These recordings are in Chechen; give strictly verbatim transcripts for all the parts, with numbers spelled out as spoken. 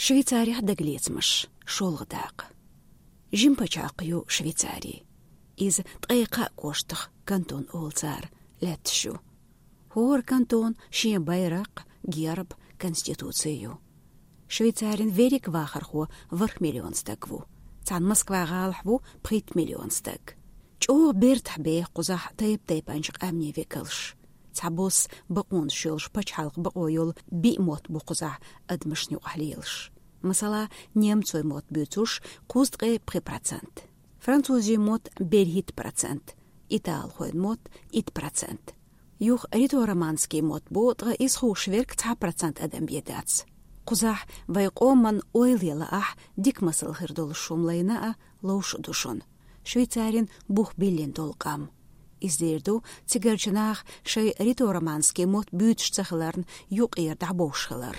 Швейцарехь дагалецамаш, шолгӀа дакъа. Жима пачхьалкх ю Швейцари. Иза ткъе кхаа кӀоштах, кантон олу цара, лаьтташ ю. ХӀора кантона шен байракх, герб, конституци ю. Швейцарин верриг вахархо ворхӀ миллион стаг ву. Цхьана Москва-гӀалахь ву пхийтта миллион стаг. ЧӀогӀа бертахь беха кхузахь тайп-тайпанчу къаьмнийн векалш. Цхьабосса бакъонаш йолуш пачхьалкхан бакъо йолу биъ мотт бу кхузахь адамашна юкъахь лелаш. Масала, немцойн мотт буьйцурш кхузткъе пхи процент, французийн мотт берхӀитта процент, италхойн мотт итт процент. Юха ритороманский мотт бу, ткъа иза хууш верг цхьа процент адам бен дац. Кхузахь вайн къоман ойла яла ахь, дика масал хир долуш хӀума лайна а, ловш а ду шуна. Швейцарин бух биллина долу къам. Иза дийр ду цигарчу наха шайн ритороманский мотт буьйцуш ца хиларна юкъера дӀабовш хилар.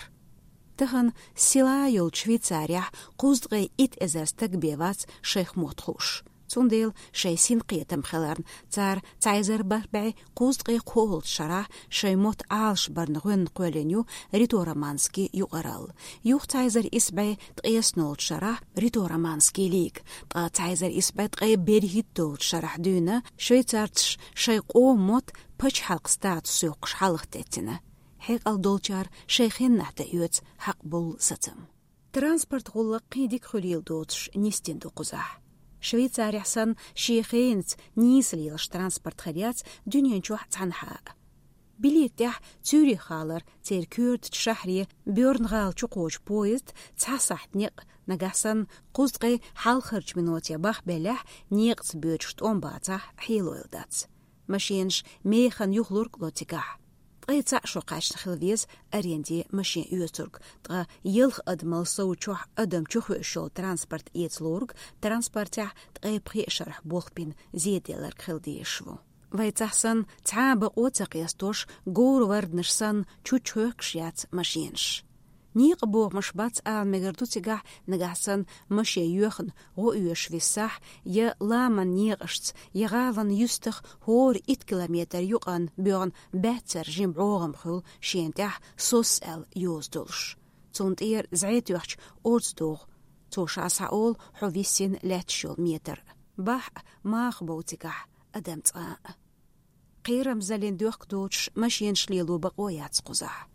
Тахана сила йолчу Швейцарехь кхузткъе итт эзар стаг бен вац шайх мотт хууш. Цундела шайн синкхетам хиларна, цара цхьа эзар бархӀ бӀе кхузткъе кхоалгӀачу шарахь шайн мотт Ӏалашбарна гӀоьнна кхоьллина ю ритороманский юкъаралла. Юха цхьа эзар исс бӀе ткъаесналгӀачу шарахь ритороманский лига, ткъа цхьа эзар исс бӀе ткъе берхӀитталгӀачу шарахь дуьйна швейцарцаша шайн къоман мотт пачхьалкх статус йоккхуш хьалха теттина. Хьекъал долчара шайн хеннахь тӀеоьцу хьакъ болу сацам. Транспорт гӀуллакх кхин дика хуьлийла доцуш нисдина ду кхузахь. Швейцарехь санна шен хенаца нийса лелаш транспорт хир яц дуьнен чохь цхьанхьа а. Билет тӀехь Цюрих-гӀалара церан коьртачу шахьре Берн-гӀала чу кхочу поезд цхьа сахьт некъ, нагахь санна кхузткъе хьалхарчу миноте бахбеллехь, некъаца боьдуш тӀом бацахь, хьелойла дац. Машенаш механа юхалург ло цигахь. Ткъе цхьаъ шо кхаьчна хила веза аренде машен оьцург, ткъа ялх адамал сов чохь адам чухуьуш йолу транспорт эца лориг транспортехь ткъе пхеа шарахь болх бина зеделларг хила дезаш ву. Вайцахь санна цхьа а бакъо ца къестош, говр-варданаш санна чуччохьоькхуш яц машенаш. Некъан бохамаш бац ала мегар ду цигахь, нагахь санна машен йоьхна гӀо оьшуш виссахь, я ламан некъашца, я гӀалин юьстах хӀора итт километр юкъанна боьгӀна баьццара жима бӀогӀам хуьлу шена тӀехь сос аьлла йоза долуш. Цунна тӀера зӀе тоьхча орца догӀу. Цо ша схьаолу хьо виссина лаьтташ йолу метр. Бахь а, маха бов цигахь адам цкъа а. Кхерамзаллин доьхка доцуш машенаш лело бакъо яц кхузахь.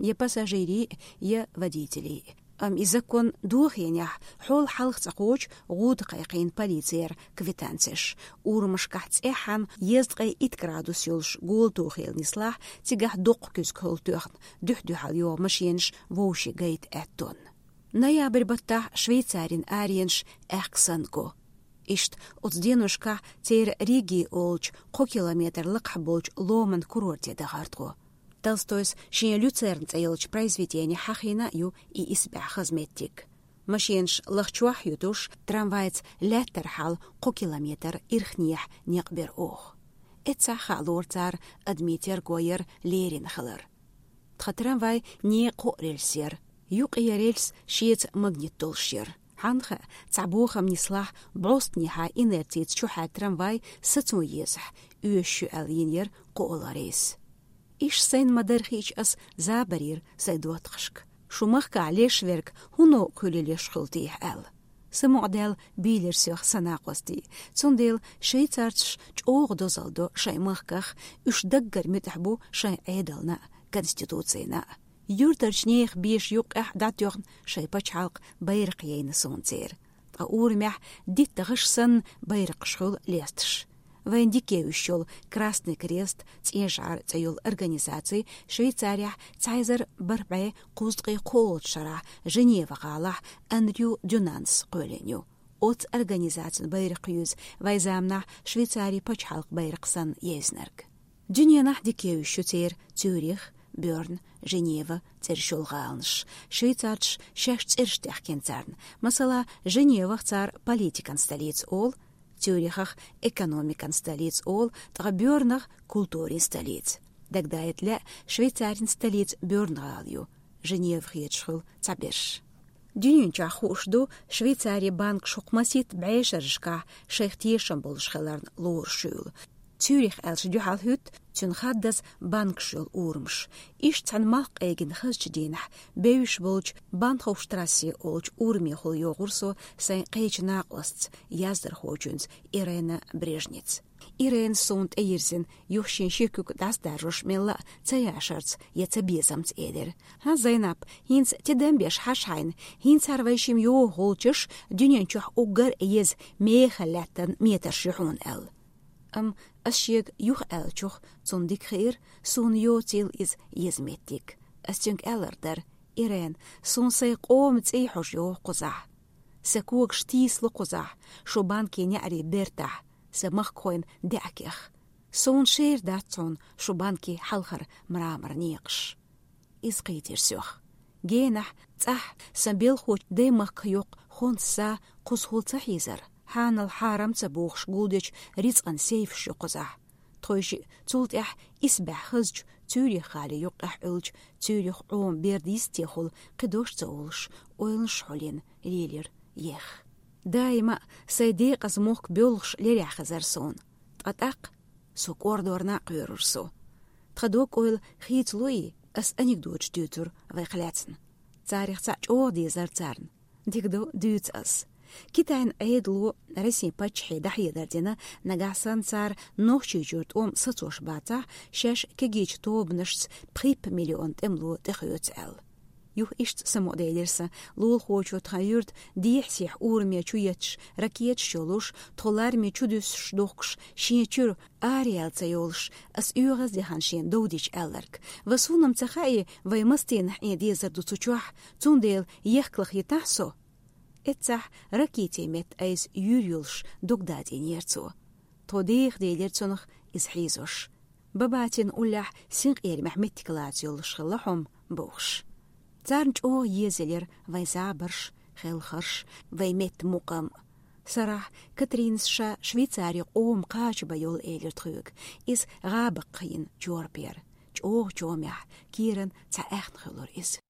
Я пассажирийн, я водителийн. Амма и закон дохийнехь, хьол хьалха цӀа кхочу гӀуда кхайкхийна полицера квитанцеш. Урамашкахь цӀеххьана дезткъе итт градус йолуш голатохийла нислахь, цигахь доккха куьзга хӀулла тоьхна, дуьхь-дуьхьал йогӀу машенаш вовшийн гайта аьттонна. Ноябрь баттахь Швейцарин аренаш аьхка санна го. Иштта оцу деношкахь церан Риги олучу кхо километр лакхахь болчу ломан курорте дахара тхо. Толстойс шен «Люцерн» цӀе йолчу произведене хьахийна а ю и исбаьхьа хаза меттиг. Машенаш лахчохь а ютуш, трамвайца лаьттара хьала кхо километр ирхнехьа некъ бира оха. Эццахь хаалора цара адамийн терго яр лерина хилар. Тхан трамвай некъан кхоъ рельс яра. Юккъера рельс шеца магнит долуш яра. Хьанна хаьа, цхьа бохам нислахь, бӀостанехьа инерцица чухьаьдда трамвай сацо езахь, оьшуш ю аьлла йина яра кхоалгӀа рейс. Иштта сайна ма-дарра хиъча, ас забарйира сайн доттагӀашка. Шу махкахь леш верг хӀун новкъа хуьлийла йиш хуьлу техьа аьлла. Самукъадаьлла бийлира соьх сан накъостий. Цундела швейцарцаш чӀогӀа дозалла до шайн махках, уьш даггара муьтӀахь бу шайн Ӏедална а, конституцина а. Юьртарчу нехан беша юккъехь дӀатоьхна шайн пачхьалкхан байракх яйна суна церан. Ткъа урамехь дитта гӀаш санна байракхаш хуьлу лесташ. Вайна дика евзаш йолу «Красный крест», «ЦӀен шӀара» цӀе йолу организаци Швейцарехь цхьа эзар бархӀ бӀе кхузткъе кхоалгӀачу шарахь Женева-гӀалахь Андрю Дюнанс кхоьллина ю. Оцу организацин байракх юьза вайн заманахь Швейцарин пачхьалкхан байракх санна евзинарг. Дуьненахь дика евзаш ю церан Цюрих, Берн, Женева цӀераш йолу гӀаланаш. Швейцарцаш шаьш цӀераш даьхкина царна. Масала, Женевах цара политикан столица олу, Цюрихах экономикан столица олу, ткъа Бернах культурин столица. Дагадайта лаьа, Швейцарин столица Берн-гӀала ю, Женева хеташ хуьлу цхьаберш. Дуьнен чохь хууш ду, Швейцарин банкаш хӀокху масийтта бӀешарашкахь шайх тешам болуш хиларна лоруш хуьлу. Цюрих аьлча дуьхьал хӀуьтту цуьнан хаддаза банкаш йолу урамаш. Иштта цхьана малх къегина хазачу дийнахь бевзаш болчу Банхофштрассе олучу урамехула йогӀура со сайн кхечу накъостаца, яздархочуьнца Ирена Брежница. Ирена суна тӀейирзина, юха шен ши куьг дӀасадаржош мелла а ца яшарца я ца безамца элира: «ХӀан, Зайнап, хӀинца тидам беш хьажа хьайна, хӀинца хӀара вай шимма йогӀу гӀулчаш дуьнен чохь уггар а еза мехала лаьттан метарш ю хьуна», — аьлла. Амма ас шега юха аьллачух цунна дика хиира, суна йоцийла иза еза меттиг. Ас цуьнга аьлларг дара: «Ирен, суна сайн къоман цӀий хьожа йогӀу кхузахь. Сан когаш тийсало кхузахь, шун банкин неӀарийн бертахь, сан махкахойн даьӀахкех. Суна шера дац хьуна шун банкин хьалхара мрамор некъаш». Иза кхийтира соьх. Генахь, цӀахь сан белхочу даймахках йоккха хӀонс са кхузахула ца хьийзара, хьанал хьарам ца бохуш гулдечу рицкъан сейфаш ю кхузахь. Тхойшиъ цул тӀаьхьа исбаьхьа хазачу Цюрих-гӀали юккъехь Ӏуьллучу Цюрих-Ӏома берда йистехула кхин дош ца олуш, ойланаш хьулйина лелира еха. Даима а сайн декъаза мохк боьлхуш лерехь хезара суна. Ткъа тӀаккха со кӀордорна а кхоьрура со. Тхан дог-ойла хийцало и, ас анекдоташ дуьйцура вайх лаьцна. Царах цхьаъ чӀогӀа дезара царна. Дика ду, дуьйцу ас. Китайн Ӏедало Россин паччахье дӀахьедар дина, нагахь санна цара Нохчийчуьра тӀом сацош бацахь, шаьш кегийчу тобанашца пхийтта миллион тӀемало тӀехоьцу аьлла. Юха иштта самукъаделира сан: лулахочо тхан юьрта дехьа-сехьа ураме чу етташ ракеташ йолуш, тхо лараме чу дуьссуш дохкуш, шен чуьра араяьлла ца йолуш, ас оьгӀаз дехна шена довдийча аьлларг. Ва суна-м ца хаьий, вай мастенах Ӏен дезар ду цу чохь, цундела ехкалах йитахь со. Эццахь ракетин метта айса юьйр йолуш дог дадийнера цо. Тхо деха делира цунах иза хьийзош. Бабатин уллехь синкъерамехь меттиг лаца йолуш хилла хьо-м бохуш. Царна чӀогӀа езаелира вайн забарш, хелхарш, вайн меттан мукъам. Сарахь Катринас ша Швейцаре къоман кхача бан йолу элира тхоьга. Иза гӀабакхийна чорпера. ЧӀогӀа чомехь, кийран цхьа аьхна хуьлура иза.